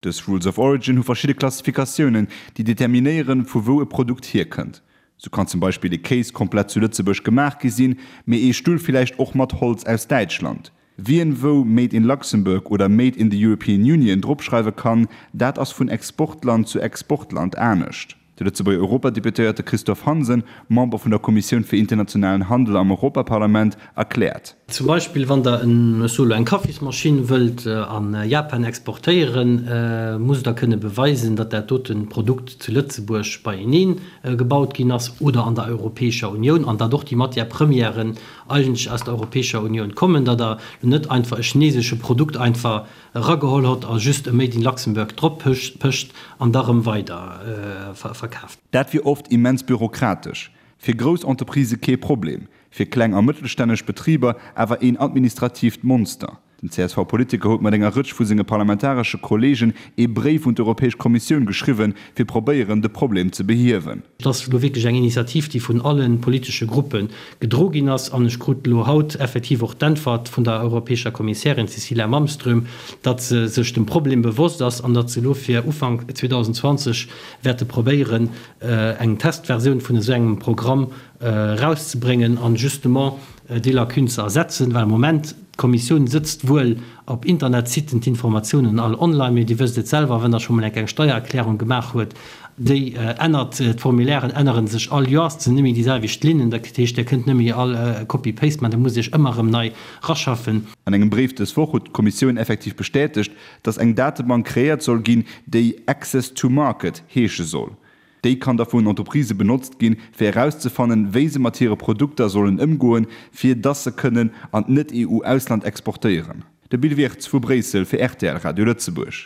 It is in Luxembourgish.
Dës Rules of Origin hu verschidde Klassifikatiounen, déi determinéieren, vu wou e Produkt hierkënnt. Sou kann zum Beispill e Kéis komplett zu Lëtzebuerg gemaach gi sinn, mee ee Stull villäicht och mat Holz aus Däitschland. Wien wou Made in Luxembourg oder Made in the European Union dropschreiwe kann, dat ass vun Exportland zu Exportland anescht. De Lëtzebuerger Europadeputéierte Christophe Hansen, Member vun der Kommissioun fir internationalen Handel am Europaparlament, erkläert. Zum Beispill wann der, ech soe lo, eng Kaffismaschinn wëllt a Japan exportéieren, musst der kënne beweisen, datt dat dote Produkt zu Lëtzebuerg beienee gebaut ginn ass oder an der Europäescher Unioun an datt och déi Matière-premièren eigentlech aus der Europäescher Unioun kommen, datt der lo net einfach e chinesesche Produkt einfach erageholl hott a just e Made in Luxembourg drop pëscht an da rëm weider verkaaft. Dat wier oft immens bürokratesch. Fir grouss Entreprisë kee Problem, fir kleng a mëttelstänneg Betriber awer een administratiivt Monster. Den CSV-Politiker huet mat enger Rëtsch vu senge parlamentaresche Kolleegen ee Bréif un d'Europäesch Kommissioun geschriwwen, fir probéieren, de Problem ze behiewen. Et ass elo wierklech eng Initiativ, déi vun alle politesche Gruppe gedro ginn ass. An ech krut elo haut effektiv och d'Äntwert vun der europäescher Kommissärin Cecilia Malmström, datt se sech dem Problem bewosst ass an datt se elo fir Ufank 2020 wäerte probéieren, eng Testversioun vun esou engem Programm erauszebréngen an justement déi Lacune ze ersetzen, well am Moment, d'Kommissioun sëtzt wuel op Internetsiten, d'Informatiounen all online, mee Dir wësst et selwer, wann Der scho mol eng kleng Steiererklärung gemaach huet, déi ännert, d'Formulairen ännere sech all Joers, et sinn net méi déi selwecht Linnen, dat heescht, Dir kënnt net méi all Copy-paste maachen, Der musst Iech ëmmer erëm nei raschaffen. An engem Bréif dës Woch huet d'Kommissioun effektiv bestätegt, datt eng Datebank kreéiert soll ginn, déi Access to Market heesche soll. Déi kann da vun Entreprisë benotzt ginn, fir erauszefannen, wéi se mat hire Produkter sollen ëmgoen, fir dass se kënnen an d'Net-EU-Ausland exportéieren. De Bill Wirtz vu Bréissel fir rtl Radio Lëtzebuerg.